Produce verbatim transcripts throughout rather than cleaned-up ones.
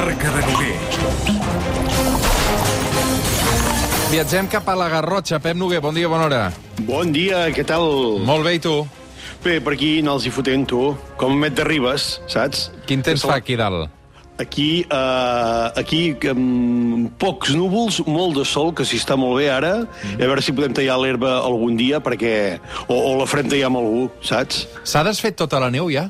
comarca de Noguer. Viatgem cap a la Garrotxa. Pep Noguer, bon dia, bona hora. Bon dia, què tal? Molt bé, i tu? Bé, per aquí no els hi fotent, tu. Com Met de Ribes, saps? Quin temps fa aquí dalt? Aquí, uh, aquí um, pocs núvols, molt de sol, que si està molt bé ara, mm. a veure si podem tallar l'herba algun dia, perquè... O, o la farem tallar amb algú, saps? S'ha desfet tota la neu, ja?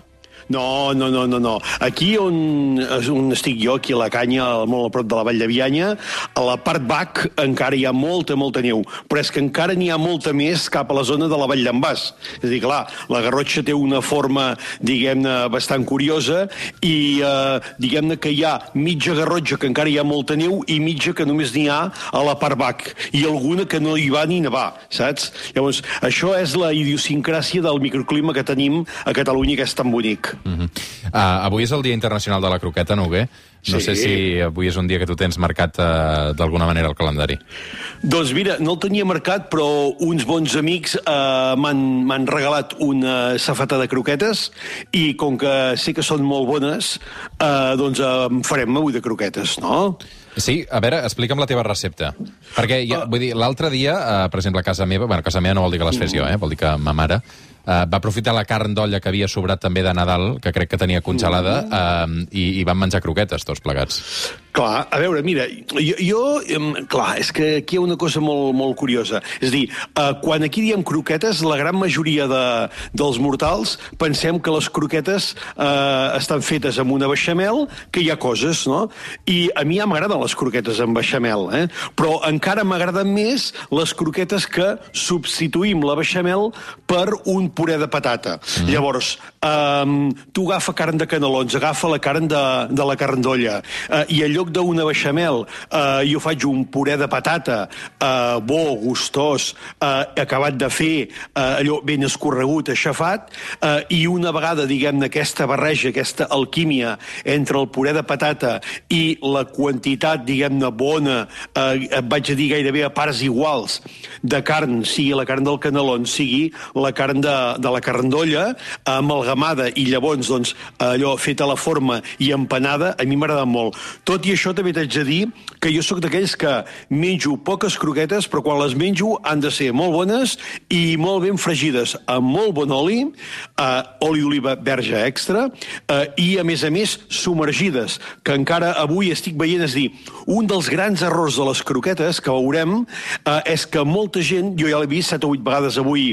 No, no, no, no, no. Aquí on, on estic jo, aquí a la Canya, molt a prop de la Vall de Bianya, a la part baix encara hi ha molta, molta neu, però és que encara n'hi ha molta més cap a la zona de la Vall d'en Bas. És a dir, clar, la Garrotxa té una forma, diguem-ne, bastant curiosa i, eh, diguem-ne, que hi ha mitja Garrotxa que encara hi ha molta neu i mitja que només n'hi ha a la part baix, i alguna que no hi va ni nevar, saps? Llavors, això és la idiosincràsia del microclima que tenim a Catalunya, que és tan bonic. Uh-huh. uh, avui és el Dia Internacional de la Croqueta, Noguer. No sí. sé si avui és un dia que tu tens marcat uh, d'alguna manera al calendari. Doncs mira, no el tenia marcat, però uns bons amics uh, m'han regalat una safata de croquetes i com que sé que són molt bones, uh, doncs uh, farem avui de croquetes, no? Sí, a veure, explica'm la teva recepta. Perquè, ja, vull dir, l'altre dia, uh, per exemple, a casa meva, bueno, a casa meva no vol dir que les fes jo, eh? Vol dir que ma mare uh, va aprofitar la carn d'olla que havia sobrat també de Nadal, que crec que tenia congelada, uh, i, i van menjar croquetes tots plegats. Clar, a veure, mira, jo, jo clar, és que aquí hi ha una cosa molt, molt curiosa. És a dir, eh, quan aquí diem croquetes, la gran majoria de, dels mortals pensem que les croquetes eh, estan fetes amb una beixamel, que hi ha coses, no? I a mi ja m'agraden les croquetes amb beixamel, eh? Però encara m'agraden més les croquetes que substituïm la beixamel per un puré de patata. Mm. Llavors, eh, tu agafa carn de canelons, agafa la carn de, de la carn d'olla, eh, i allò lloc d'una beixamel eh, jo faig un puré de patata eh, bo, gustós, eh, acabat de fer, eh, allò ben escorregut, aixafat, eh, i una vegada, diguem-ne, aquesta barreja, aquesta alquímia entre el puré de patata i la quantitat, diguem-ne, bona, eh, vaig a dir gairebé a parts iguals, de carn, sigui la carn del canelon, sigui la carn de, de la carn d'olla, amalgamada i llavors, doncs, allò fet a la forma i empanada, a mi m'agrada molt. Tot i això també t'haig de dir que jo sóc d'aquells que menjo poques croquetes, però quan les menjo han de ser molt bones i molt ben fregides, amb molt bon oli, eh, oli d'oliva verge extra, eh, i a més a més submergides, que encara avui estic veient, és dir, un dels grans errors de les croquetes que veurem eh, és que molta gent, jo ja l'he vist set o vuit vegades avui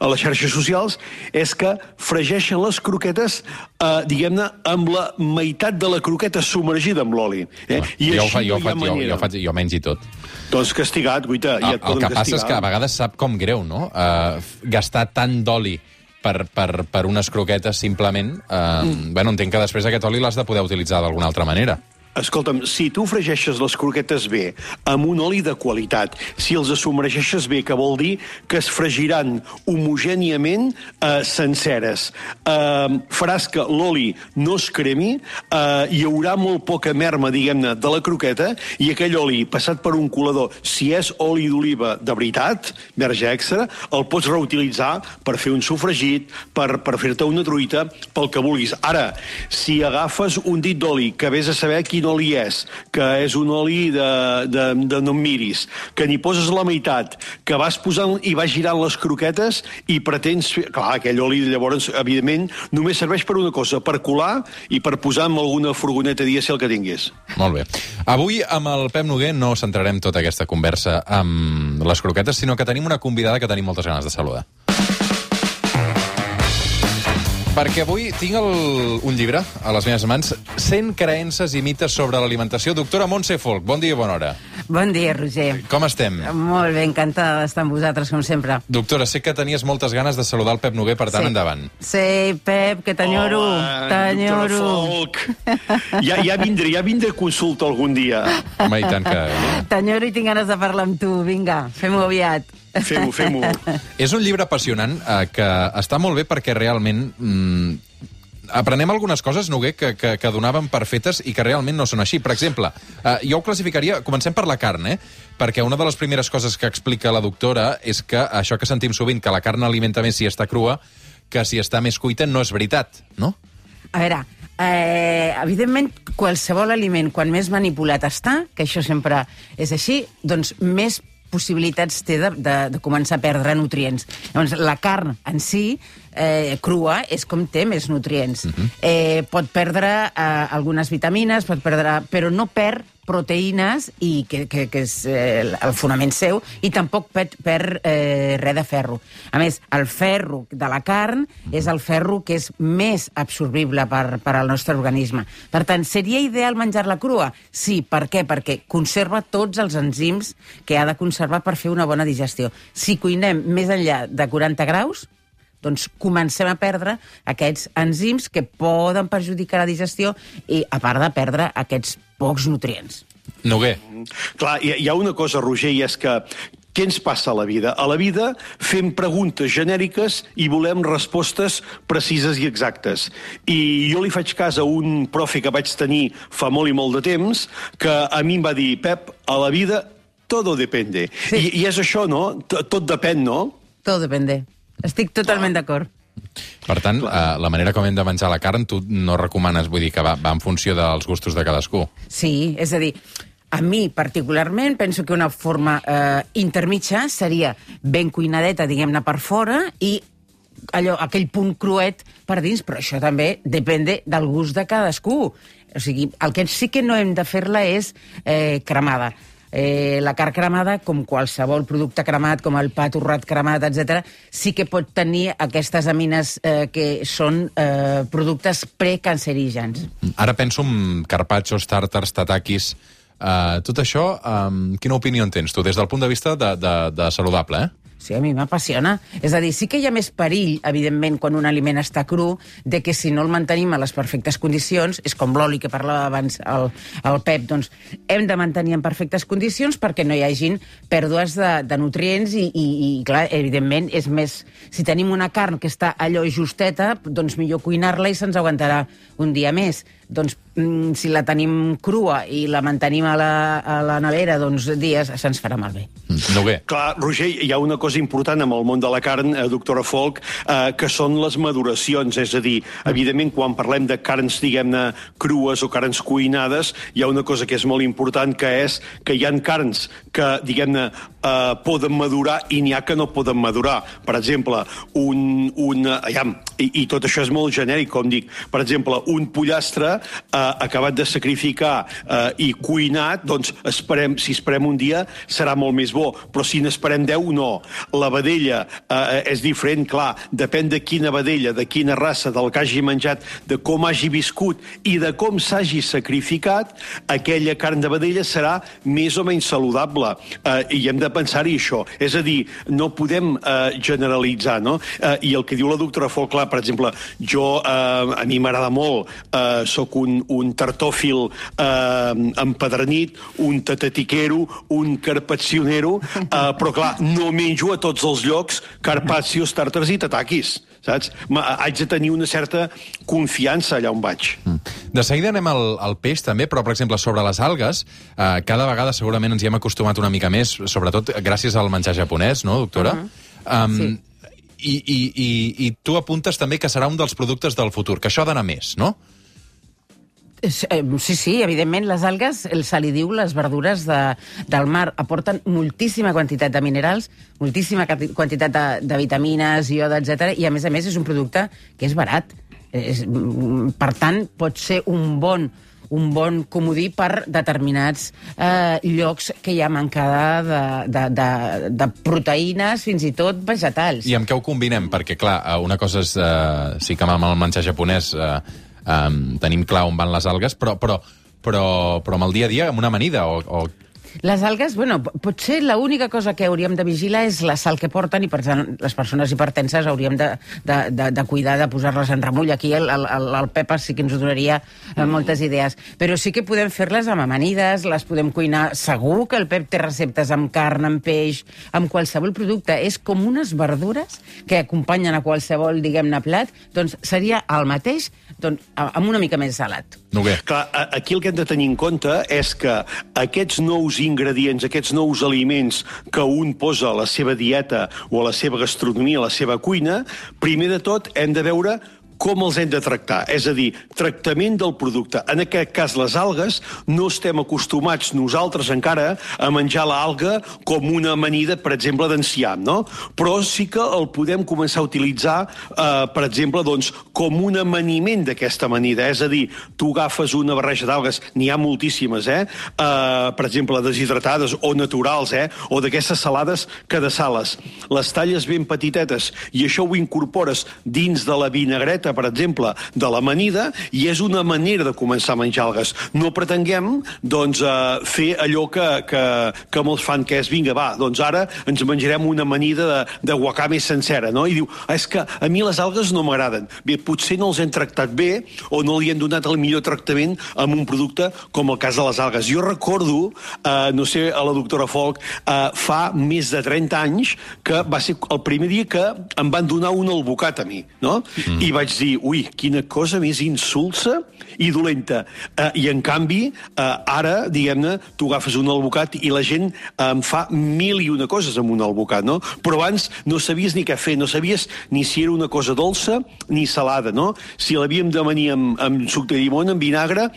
a les xarxes socials, és que fregeixen les croquetes, eh, diguem-ne, amb la meitat de la croqueta submergida amb l'oli. Eh? I jo, així fa, jo, no hi ha faig, jo, manera. jo, faig, jo mengi tot. Doncs castigat, guaita, ja et El, el poden que passa castigar. és que a vegades sap com greu, no? Uh, gastar tant d'oli per, per, per unes croquetes simplement... Uh, mm. Bueno, entenc que després aquest oli l'has de poder utilitzar d'alguna altra manera. Escolta'm, si tu fregeixes les croquetes bé, amb un oli de qualitat, si els submergeixes bé, que vol dir que es fregiran homogèniament eh, senceres, eh, faràs que l'oli no es cremi, eh, hi haurà molt poca merma, diguem-ne, de la croqueta, i aquell oli, passat per un colador, si és oli d'oliva de veritat, verge extra, el pots reutilitzar per fer un sofregit, per, per fer-te una truita, pel que vulguis. Ara, si agafes un dit d'oli, que vés a saber quin oli és, que és un oli de, de, de no em miris, que n'hi poses la meitat, que vas posant i vas girant les croquetes i pretens fer... Clar, aquell oli, llavors, evidentment, només serveix per una cosa, per colar i per posar en alguna furgoneta dièsel que tinguis. Molt bé. Avui, amb el Pep Noguer, no centrarem tota aquesta conversa amb les croquetes, sinó que tenim una convidada que tenim moltes ganes de saludar. Perquè avui tinc el, un llibre a les meves mans, cent creences i mites sobre l'alimentació. Doctora Montse Folch, bon dia i bona hora. Bon dia, Roger. Com estem? Molt bé, encantada d'estar amb vosaltres, com sempre. Doctora, sé que tenies moltes ganes de saludar el Pep Noguer, per tant, sí. endavant. Sí, Pep, que t'enyoro. T'enyoro. Ja, ja vindré, ja vindré a consulta algun dia. Home, i tant que... T'enyoro i tinc ganes de parlar amb tu. Vinga, fem-ho aviat. Fem-ho, fem-ho. És un llibre apassionant eh, que està molt bé perquè realment mm, aprenem algunes coses, Noguer, que, que, que donaven per fetes i que realment no són així. Per exemple, eh, jo ho classificaria... Comencem per la carn, eh? Perquè una de les primeres coses que explica la doctora és que això que sentim sovint, que la carn alimenta més si està crua, que si està més cuita, no és veritat, no? A veure, Eh, evidentment, qualsevol aliment, quan més manipulat està, que això sempre és així, doncs més possibilitats té de, de, de començar a perdre nutrients. Llavors, la carn en si, eh, crua, és com té més nutrients. Uh-huh. eh, pot perdre eh, algunes vitamines, pot perdre, però no perd proteïnes, i que, que, que és eh, el fonament seu, i tampoc perd, perd eh, res de ferro. A més, el ferro de la carn és el ferro que és més absorbible per, per al nostre organisme. Per tant, seria ideal menjar-la crua? Sí, per què? Perquè conserva tots els enzims que ha de conservar per fer una bona digestió. Si cuinem més enllà de quaranta graus, doncs comencem a perdre aquests enzims que poden perjudicar la digestió i, a part de perdre aquests pocs nutrients. Noguer. Clar, hi, hi ha una cosa, Roger, i és que què ens passa a la vida? A la vida fem preguntes genèriques i volem respostes precises i exactes. I jo li faig cas a un profe que vaig tenir fa molt i molt de temps, que a mi em va dir, Pep, a la vida todo depende. Sí. I, I és això, no? Tot, tot depèn, no? Tot depende. Estic totalment d'acord. Per tant, eh, la manera com hem de menjar la carn, tu no recomanes, vull dir que va, va en funció dels gustos de cadascú. Sí, és a dir, a mi particularment penso que una forma eh, intermitja seria ben cuinadeta, diguem-ne, per fora, i allò, aquell punt cruet per dins, però això també depèn del gust de cadascú. O sigui, el que sí que no hem de fer-la és eh, cremada. Eh, la carn cremada, com qualsevol producte cremat, com el pa torrat cremat, etcètera, sí que pot tenir aquestes amines eh, que són eh, productes precancerígens. Ara penso en carpaccios, tàrtars, tatakis. Uh, tot això, um, quina opinió en tens tu, des del punt de vista de, de, de saludable, eh? Sí, a mi m'apassiona. És a dir, sí que hi ha més perill, evidentment, quan un aliment està cru, de que si no el mantenim a les perfectes condicions, és com l'oli que parlava abans el, el Pep, doncs hem de mantenir en perfectes condicions perquè no hi hagin pèrdues de, de nutrients i, i, i, clar, evidentment, és més... Si tenim una carn que està allò justeta, doncs millor cuinar-la i se'ns aguantarà un dia més. Doncs mm, si la tenim crua i la mantenim a la, a la nevera, doncs dies se'ns farà malbé. No bé. Clar, Roger, hi ha una cosa important amb el món de la carn, eh, doctora Folch, eh, que són les maduracions. És a dir, evidentment, quan parlem de carns, diguem-ne, crues o carns cuinades, hi ha una cosa que és molt important, que és que hi ha carns que, diguem-ne, eh, poden madurar i n'hi ha que no poden madurar. Per exemple, un... un aviam, i, i tot això és molt genèric, com dic. Per exemple, un pollastre eh, acabat de sacrificar eh, i cuinat, doncs esperem, si esperem un dia serà molt més bo, però si n'esperem deu, no. La vedella eh, és diferent, clar, depèn de quina vedella, de quina raça, del que hagi menjat, de com hagi viscut i de com s'hagi sacrificat, aquella carn de vedella serà més o menys saludable. Eh, I hem de pensar-hi això. És a dir, no podem eh, generalitzar, no? Eh, I el que diu la doctora Folch, clar, per exemple, jo, eh, a mi m'agrada molt, eh, sóc un, un tartòfil eh, empedernit, un tatatiquero, un carpaccionero, eh, però clar, no menjo a tots els llocs carpaccios, tàrtars i tatakis, saps? Ma, haig de tenir una certa confiança allà on vaig. Mm. De seguida anem al, al peix també, però per exemple sobre les algues, eh, cada vegada segurament ens hi hem acostumat una mica més, sobretot gràcies al menjar japonès, no, doctora? Uh-huh. um, sí. I, i, i, I tu apuntes també que serà un dels productes del futur, que això ha d'anar més, no? Sí, sí, evidentment, les algues, se li diu les verdures de, del mar, aporten moltíssima quantitat de minerals, moltíssima quantitat de, de vitamines, ioda, etcètera, i a més a més és un producte que és barat. És, per tant, pot ser un bon, un bon comodí per determinats eh, llocs que hi ha mancada de, de, de, de proteïnes, fins i tot vegetals. I amb què ho combinem? Perquè, clar, una cosa és... Eh, sí que amb el menjar japonès... Eh, Um, tenim clar on van les algues, però, però, però, però amb el dia a dia, amb una amanida o... o... Les algues, bueno, potser l'única cosa que hauríem de vigilar és la sal que porten i, per tant, les persones hipertenses hauríem de, de, de, de cuidar de posar-les en remull. Aquí el, el, el Pep sí que ens donaria eh, moltes idees. Però sí que podem fer-les amb amanides, les podem cuinar. Segur que el Pep té receptes amb carn, amb peix, amb qualsevol producte. És com unes verdures que acompanyen a qualsevol, diguem-ne, plat. Doncs seria el mateix, doncs, amb una mica més salat. Noguer. Clar, aquí el que hem de tenir en compte és que aquests nous ingredients, aquests nous aliments que un posa a la seva dieta o a la seva gastronomia, a la seva cuina, primer de tot hem de veure com els hem de tractar? És a dir, tractament del producte. En aquest cas, les algues, no estem acostumats nosaltres encara a menjar l'alga com una amanida, per exemple, d'enciam, no? Però sí que el podem començar a utilitzar, eh, per exemple, doncs, com un amaniment d'aquesta amanida. És a dir, tu agafes una barreja d'algues, n'hi ha moltíssimes, eh? eh? Per exemple, deshidratades o naturals, eh? O d'aquestes salades que desales. Les talles ben petitetes i això ho incorpores dins de la vinagreta, per exemple, de l'amanida, i és una manera de començar a menjar algues. No pretenguem, doncs, eh, fer allò que, que, que molts fan, que és, vinga, va, doncs ara ens menjarem una amanida de, de wakame sencera, no? I diu, ah, és que a mi les algues no m'agraden. Bé, potser no els hem tractat bé o no li hem donat el millor tractament amb un producte com el cas de les algues. Jo recordo, eh, no sé, a la doctora Folk, eh, fa més de trenta anys, que va ser el primer dia que em van donar un albocat a mi, no? Mm. I vaig dir, ui, quina cosa més insulsa i dolenta. Eh, I, en canvi, eh, ara, diguem-ne, tu agafes un albocat i la gent eh, em fa mil i una coses amb un albocat, no? Però abans no sabies ni què fer, no sabies ni si era una cosa dolça ni salada, no? Si l'havíem de venir amb, amb suc de llimona, amb vinagre,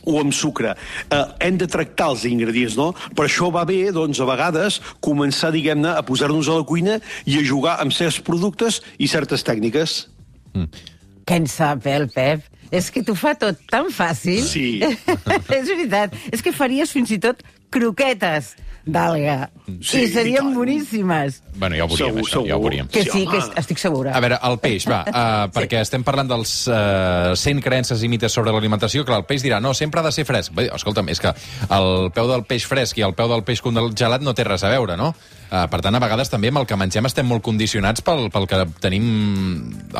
o amb sucre. Eh, hem de tractar els ingredients, no? Per això va bé, doncs, a vegades, començar, diguem-ne, a posar-nos a la cuina i a jugar amb certs productes i certes tècniques. Mm. Què en sap, eh, el Pep? És que t'ho fa tot tan fàcil. Sí. És veritat. És que faries fins i tot croquetes d'alga. Sí, I serien boníssimes. Bueno, ja ho veuríem, Segur, això, ja ho segur. veuríem. Que sí, Sí, que home. estic segura. A veure, el peix, va, uh, perquè Sí. estem parlant dels uh, cent creences i mites sobre l'alimentació. Clar, el peix dirà, no, sempre ha de ser fresc. Bé, escolta'm, és que el peu del peix fresc i el peu del peix congelat no té res a veure, no? Uh, per tant, a vegades també amb el que mengem estem molt condicionats pel, pel que tenim,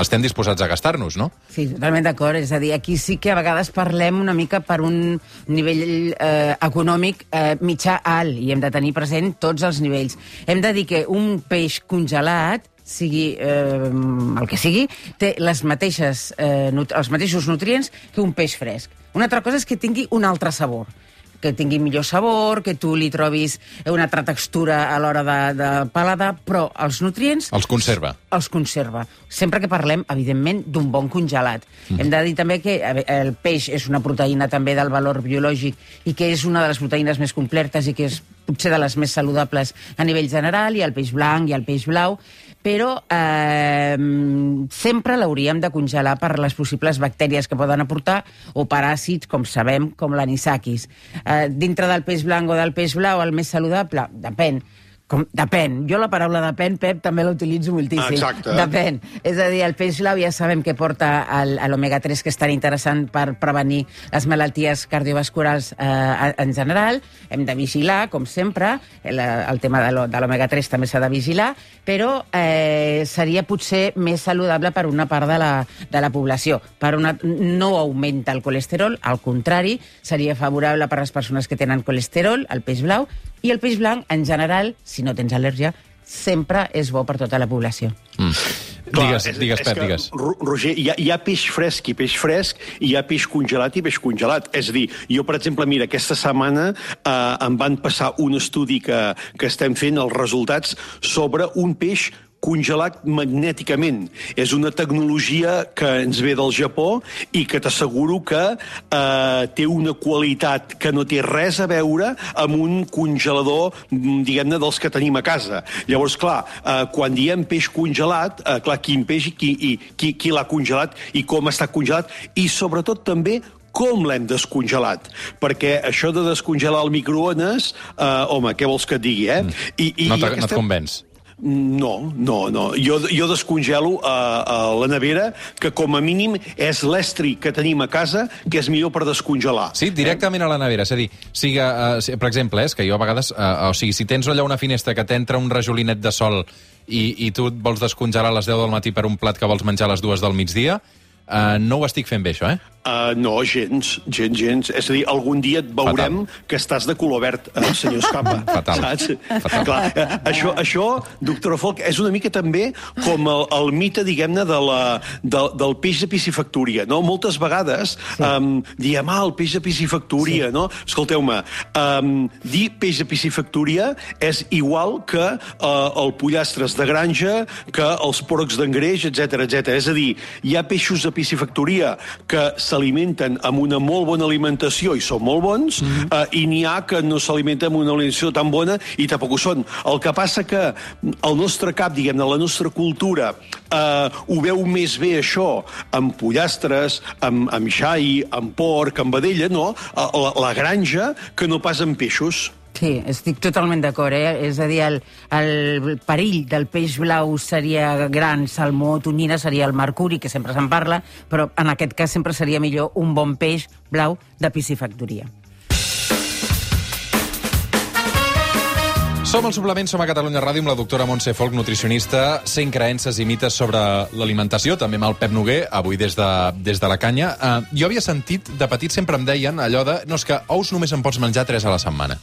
estem disposats a gastar-nos, no? Sí, totalment d'acord. És a dir, aquí sí que a vegades parlem una mica per un nivell eh, econòmic eh, mitjà alt i hem de tenir present tots els nivells. Hem de dir que un peix congelat, sigui eh, el que sigui, té les mateixes, eh, els mateixos nutrients que un peix fresc. Una altra cosa és que tingui un altre sabor, que tingui millor sabor, que tu li trobis una altra textura a l'hora de, de paladar, però els nutrients... Els conserva. Els conserva. Sempre que parlem, evidentment, d'un bon congelat. Mm. Hem de dir també que el peix és una proteïna també del valor biològic i que és una de les proteïnes més completes i que és potser de les més saludables a nivell general, i el peix blanc i el peix blau, però eh, sempre l'hauríem de congelar per les possibles bactèries que poden aportar o paràsits, com sabem, com l'anisakis. Eh, dintre del peix blanc o del peix blau, el més saludable? Depèn. Com, depèn. Jo la paraula depèn, Pep, també l'utilitzo moltíssim. Exacte. Depèn. És a dir, el peix blau ja sabem que porta l'omega tres, que és tan interessant per prevenir les malalties cardiovasculars eh, en general. Hem de vigilar, com sempre. El, el tema de l'omega tres també s'ha de vigilar, però eh, seria potser més saludable per una part de la, de la població. Per una, no augmenta el colesterol, al contrari, seria favorable per a les persones que tenen colesterol, el peix blau, i el peix blanc, en general, si no tens al·lèrgia, sempre és bo per tota la població. Mm. Clar, digues, és, digues, és Pep, que, digues. Roger, hi ha, hi ha peix fresc i peix fresc, i hi ha peix congelat i peix congelat. És a dir, jo, per exemple, mira, aquesta setmana eh, em van passar un estudi que, que estem fent, els resultats, sobre un peix congelat magnèticament. És una tecnologia que ens ve del Japó i que t'asseguro que eh, té una qualitat que no té res a veure amb un congelador, diguem-ne, dels que tenim a casa. Llavors, clar, eh, quan diem peix congelat, eh, clar, quin peix i qui, i, qui, qui l'ha congelat i com està congelat, i sobretot també com l'hem descongelat. Perquè això de descongelar el microones, eh, home, què vols que et digui, eh? I, i, no i no et convenç. No, no, no. Jo, jo descongelo a, a la nevera, que com a mínim és l'estri que tenim a casa, que és millor per descongelar. Sí, directament a la nevera. És a dir, sigui, uh, per exemple, és que jo a vegades... Uh, o sigui, si tens allà una finestra que t'entra un rajolinet de sol i, i tu et vols descongelar a les deu del matí per un plat que vols menjar a les dues del migdia, uh, no ho estic fent bé, això, eh? Uh, no, gens, gens, gens. És a dir, algun dia et veurem Fatal. que estàs de color verd, eh, senyor Escapa. Fatal. Saps? Fatal. Clar, eh, això, això, doctora Folch, és una mica també com el, el mite, diguem-ne, de la, de, del peix de piscifactoria, no? Moltes vegades sí. um, diem, ah, el peix de piscifactoria, sí. no? Escolteu-me, um, dir peix de piscifactoria és igual que uh, el pollastres de granja, que els porcs d'engreix, etcètera, etcètera. És a dir, hi ha peixos de piscifactoria que s'alimenten amb una molt bona alimentació i són molt bons, mm-hmm. eh, i n'hi ha que no s'alimenten amb una alimentació tan bona i tampoc ho són. El que passa que el nostre cap, diguem-ne, la nostra cultura, eh, ho veu més bé això amb pollastres, amb, amb xai, amb porc, amb vedella, no? La, la granja, que no pas amb peixos. Sí, estic totalment d'acord, eh? És a dir, el, el perill del peix blau seria gran salmó, tonyina, seria el mercuri, que sempre se'n parla, però en aquest cas sempre seria millor un bon peix blau de piscifactoria. Som al Suplement, som a Catalunya Ràdio amb la doctora Montse Folch, nutricionista, cent creences i mites sobre l'alimentació, també amb el Pep Noguer, avui des de, des de la canya. Uh, jo havia sentit, de petit sempre em deien allò de, no, és que ous només en pots menjar tres a la setmana.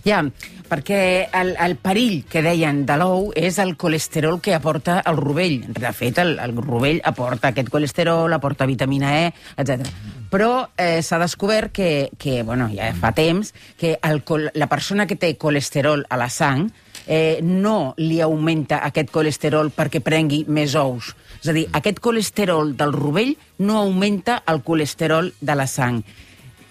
Ja, perquè el, el perill que deien de l'ou és el colesterol que aporta el rovell. De fet, el, el rovell aporta aquest colesterol, aporta vitamina E, etcètera. Però eh, s'ha descobert que, que, bueno, ja fa temps, que el, la persona que té colesterol a la sang eh, no li augmenta aquest colesterol perquè prengui més ous. És a dir, aquest colesterol del rovell no augmenta el colesterol de la sang.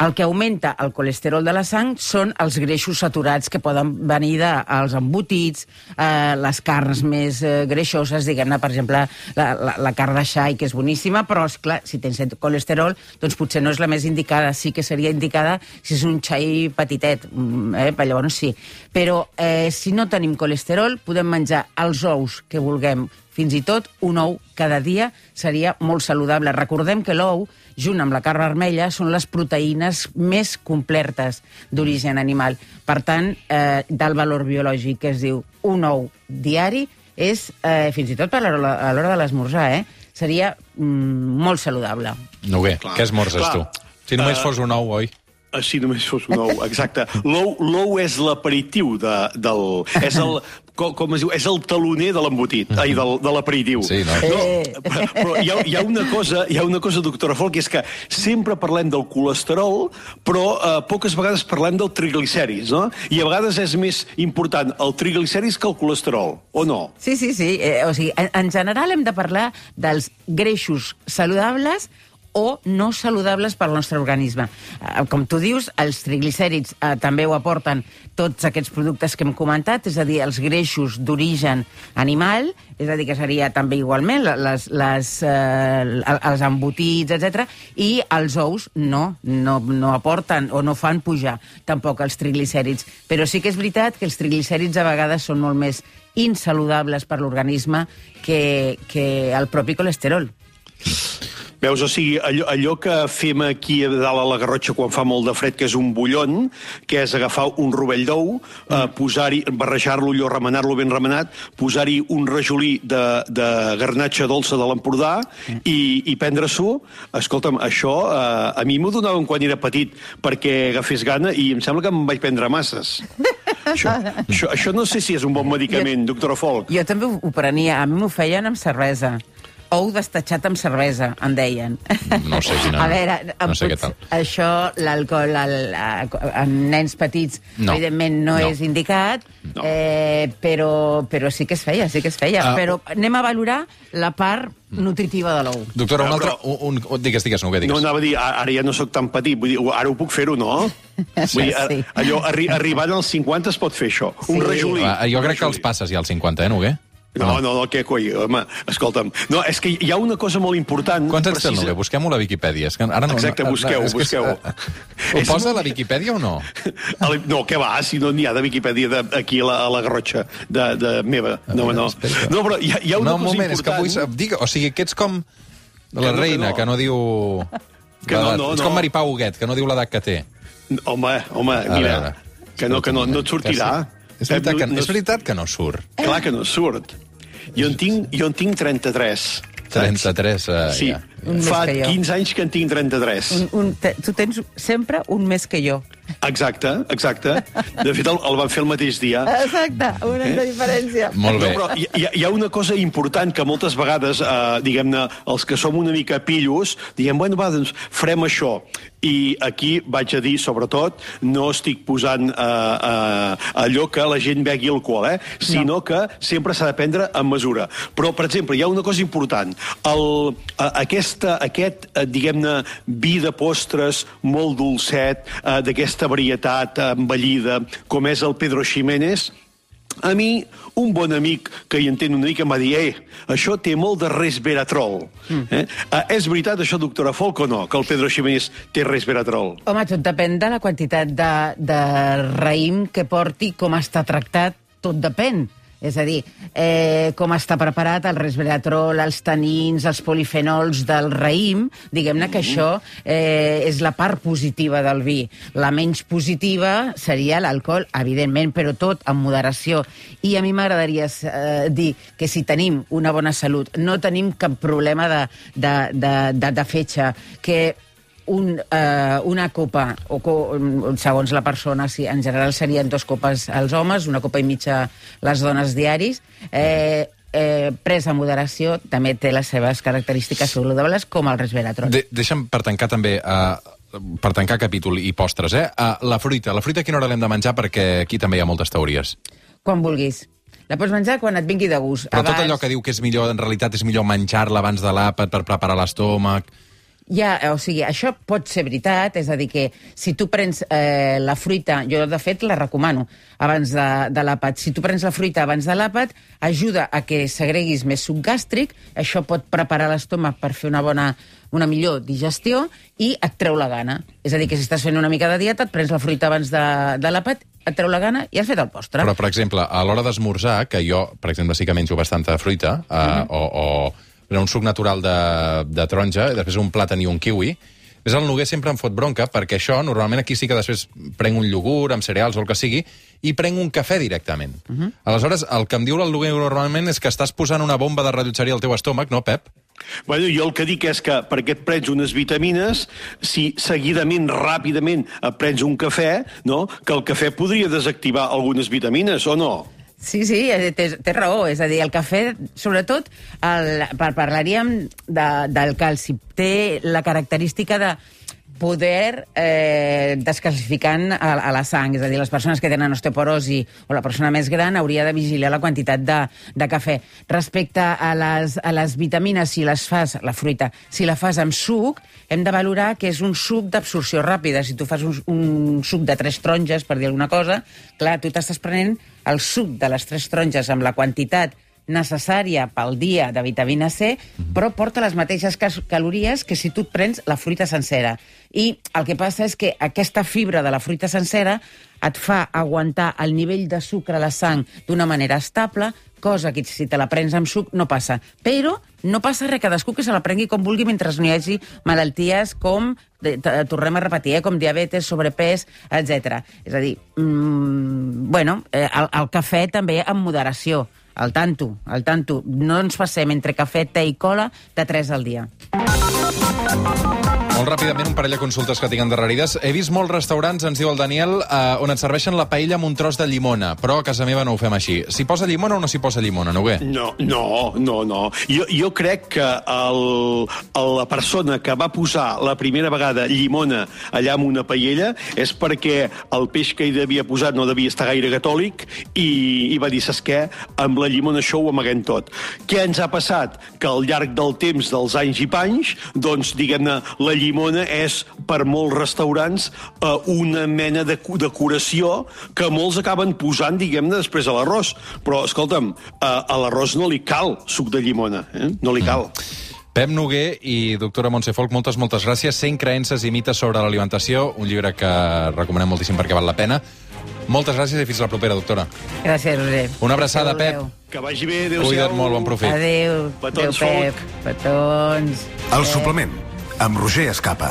El que augmenta el colesterol de la sang són els greixos saturats que poden venir dels embotits, eh, les carns més eh, greixoses, diguem-ne, per exemple, la, la, la carn de xai, que és boníssima, però, esclar, si tens colesterol, doncs potser no és la més indicada. Sí que seria indicada si és un xai petitet, eh, llavors sí. Però eh, si no tenim colesterol, podem menjar els ous que vulguem. Fins i tot un ou cada dia seria molt saludable. Recordem que l'ou, junt amb la carn vermella, són les proteïnes més completes d'origen animal. Per tant, eh, del valor biològic que es diu un ou diari és, eh, fins i tot a l'hora, a l'hora de l'esmorzar, eh, seria mm, molt saludable. Noguer, què esmorzes tu? Si només uh... fos un ou, oi? Si només fos un ou, exacte. L'ou és l'aperitiu de, del... És el, com, com es diu? És el taloner de l'embotit, ai, del, de l'aperitiu. Sí, no? no però però hi, ha, hi, ha una cosa, hi ha una cosa, doctora Folch, que és que sempre parlem del colesterol, però eh, poques vegades parlem del triglicèrids, no? I a vegades és més important el triglicèrids que el colesterol, o no? Sí, sí, sí. Eh, o sigui, en, en general hem de parlar dels greixos saludables o no saludables pel nostre organisme. Eh, com tu dius, els triglicèrids eh, també ho aporten tots aquests productes que hem comentat, és a dir, els greixos d'origen animal, és a dir, que seria també igualment les, les, eh, els embotits, etcètera, i els ous no, no, no aporten o no fan pujar tampoc els triglicèrids. Però sí que és veritat que els triglicèrids a vegades són molt més insaludables per l'organisme que, que el propi colesterol. Veus, o sigui, allò, allò que fem aquí a dalt a la Garrotxa quan fa molt de fred, que és un bullon, que és agafar un rovell d'ou, eh, posar-hi, barrejar-lo allò, remenar-lo ben remenat, posar-hi un rajolí de, de garnatxa dolça de l'Empordà i, i prendre-s'ho. Escolta'm, això eh, a mi m'ho donaven quan era petit perquè agafés gana i em sembla que em vaig prendre masses. Això, això, això no sé si és un bon medicament, doctora Folch. Jo també ho prenia, a mi m'ho feien amb cervesa. Ou destatxat amb cervesa, en deien. No sé quina... A veure, no sé què tal. Això, l'alcohol en nens petits, no. evidentment no, no és indicat, no. eh, però, però sí que es feia, sí que es feia. Uh, però anem a valorar la part nutritiva de l'ou. Doctora, un altre... Un, un, digues, digues, no, digues. No, anava a dir, ara ja no sóc tan petit, vull dir, ara ho puc fer-ho, no? Vull dir, sí. allò, arri, arribant als cinquanta es pot fer això. Sí. Un rajolí. Uh, jo crec que els passes ja als cinquanta, eh, Noguer? No, no, no, què coi, home, escolta'm. No, és que hi ha una cosa molt important... Quants anys té el Noguer? Busquem-ho a la Viquipèdia. És que ara no, Exacte, busqueu-ho, no, busqueu-ho. Ho posa a la Viquipèdia o no? No, què va, si no n'hi ha de Viquipèdia de, aquí a la, a la Garrotxa de, de meva. No, no. No, però hi ha, hi ha una no, cosa moment, important... És que vull... Digue, o sigui, que ets com la reina, que no diu... Que no, no, ets com Maripau Huguet, que no diu l'edat que té. Home, home, mira, que no, que no, no et sortirà. És veritat, que, és veritat que no surt. Clar que no surt. Jo en tinc, jo en tinc trenta-tres. trenta-tres, uh, Sí, ja. fa quinze anys que en tinc trenta-tres. Un, un, te, tu tens sempre un més que jo. Exacte, exacte. De fet, el, el van fer el mateix dia. Exacte, un any de diferència. Molt bé. No, però hi, hi, hi ha una cosa important que moltes vegades, eh, diguem-ne, els que som una mica pillos, diguem, bueno, va, doncs farem això. I aquí vaig a dir, sobretot, no estic posant eh, eh, allò que la gent begui alcohol, eh? Sinó no. que sempre s'ha de prendre en mesura. Però, per exemple, hi ha una cosa important. El, eh, aquesta, aquest, eh, diguem-ne, vi de postres molt dolcet, eh, d'aquesta varietat envellida, com és el Pedro Ximénez, a mi, un bon amic que hi entén una mica em va dir eh, això té molt de resveratrol. Mm. Eh? Uh, és veritat això, doctora Folk, o no, que el Pedro Ximénez té resveratrol? Home, tot depèn de la quantitat de, de raïm que porti, com està tractat, tot depèn. És a dir, eh, com està preparat el resveratrol, els tanins, els polifenols del raïm, diguem-ne que això eh, és la part positiva del vi. La menys positiva seria l'alcohol, evidentment, però tot amb moderació. I a mi m'agradaria eh, dir que si tenim una bona salut, no tenim cap problema de, de, de, de, de fetge, que Un, uh, una copa, o co segons la persona, sí, en general serien dos copes als homes, una copa i mitja les dones diaris, eh, eh, presa a moderació, també té les seves característiques saludables, com el resveratrol. De deixa'm, per tancar també, uh, per tancar capítol i postres, eh? Uh, la fruita. La fruita a quina hora l'hem de menjar? Perquè aquí també hi ha moltes teories. Quan vulguis. La pots menjar quan et vingui de gust. Però abans... tot allò que diu que és millor, en realitat és millor menjar-la abans de l'àpat per preparar l'estómac... Ja, o sigui, això pot ser veritat, és a dir, que si tu prens eh, la fruita, jo de fet la recomano abans de, de l'àpat, si tu prens la fruita abans de l'àpat, ajuda a que segreguis més suc gàstric, això pot preparar l'estómac per fer una bona, una millor digestió i et treu la gana. És a dir, que si estàs fent una mica de dieta, et prens la fruita abans de, de l'àpat, et treu la gana i has fet el postre. Però, per exemple, a l'hora d'esmorzar, que jo, per exemple, sí que menjo bastanta fruita, eh, mm-hmm. o... o un suc natural de, de taronja, i després un plàtan i un kiwi. Ves, el Noguer sempre em fot bronca, perquè això, normalment aquí sí que després prenc un iogurt amb cereals o el que sigui, i prenc un cafè directament. Uh -huh. Aleshores, el que em diu el Noguer normalment és que estàs posant una bomba de rellotgeria al teu estómac, no, Pep? Bueno, jo el que dic és que perquè et prens unes vitamines, si seguidament, ràpidament, et prens un cafè, no? Que el cafè podria desactivar algunes vitamines, o no? Sí, sí, té, té raó. És a dir, el cafè, sobretot, el, par parlaríem de, del calci. Té la característica de poder eh, descalcificant a, a la sang. És a dir, les persones que tenen osteoporosi o la persona més gran hauria de vigilar la quantitat de, de cafè. Respecte a les, a les vitamines, si les fas, la fruita, si la fas amb suc, hem de valorar que és un suc d'absorció ràpida. Si tu fas un, un suc de tres taronges, per dir alguna cosa, clar, tu t'estàs prenent el suc de les tres taronges amb la quantitat necessària pel dia de vitamina C, però porta les mateixes calories que si tu et prens la fruita sencera. I el que passa és que aquesta fibra de la fruita sencera et fa aguantar el nivell de sucre a la sang d'una manera estable, cosa que si te la prens amb suc no passa. Però no passa res, cadascú que se la prengui com vulgui mentre no hi hagi malalties com, tornem a repetir, eh, com diabetes, sobrepès, etcètera. És a dir, mmm, bueno, eh, el, el cafè també amb moderació. Al tanto, al tanto. No ens passem entre cafè, te i cola de tres al dia. Molt ràpidament, un parell de consultes que tinc endarrerides. He vist molts restaurants, ens diu el Daniel, eh, on et serveixen la paella amb un tros de llimona, però a casa meva no ho fem així. S'hi posa llimona o no s'hi posa llimona, Noguer? No, no, no, no. Jo, jo crec que el, la persona que va posar la primera vegada llimona allà en una paella és perquè el peix que hi devia posar no devia estar gaire catòlic i, i va dir, saps què? Amb la llimona això ho amaguem tot. Què ens ha passat? Que al llarg del temps, dels anys i panys, doncs, diguem-ne, la llimona és, per molts restaurants, eh, una mena de decoració que molts acaben posant, diguem-ne, després a l'arròs. Però, escolta'm, eh, a l'arròs no li cal suc de llimona, eh? No li cal. Mm. Pep Noguer i doctora Montse Folk, moltes, moltes gràcies. cent creences i mites sobre l'alimentació, un llibre que recomanem moltíssim perquè val la pena. Moltes gràcies i fins la propera, doctora. Gràcies, Roger. Una abraçada, Pep. Que vagi bé, adéu-siau. Cuida't molt, bon profit. Adéu. Petons, Adéu, Pep. Petons. El suplement, amb Roger Escapa.